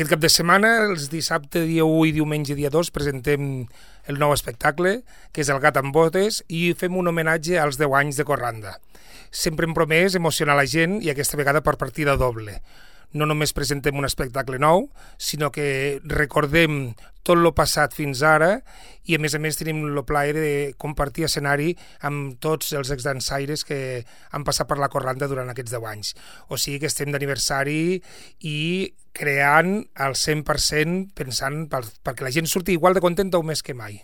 Aquest cap de setmana, els dissabte, dia 1 i diumenge, dia 2, presentem el nou espectacle, que és El gat amb botes, i fem un homenatge als 10 anys de Corranda. Sempre hem promès emocionar la gent i aquesta vegada per partida doble. No només presentem un espectacle nou, sinó que recordem tot el passat fins ara i a més tenim el plaer de compartir escenari amb tots els exdansaires que han passat per la Corranda durant aquests 10 anys. O sigui que estem d'aniversari i creant al 100% pensant perquè la gent surti igual de contenta o més que mai.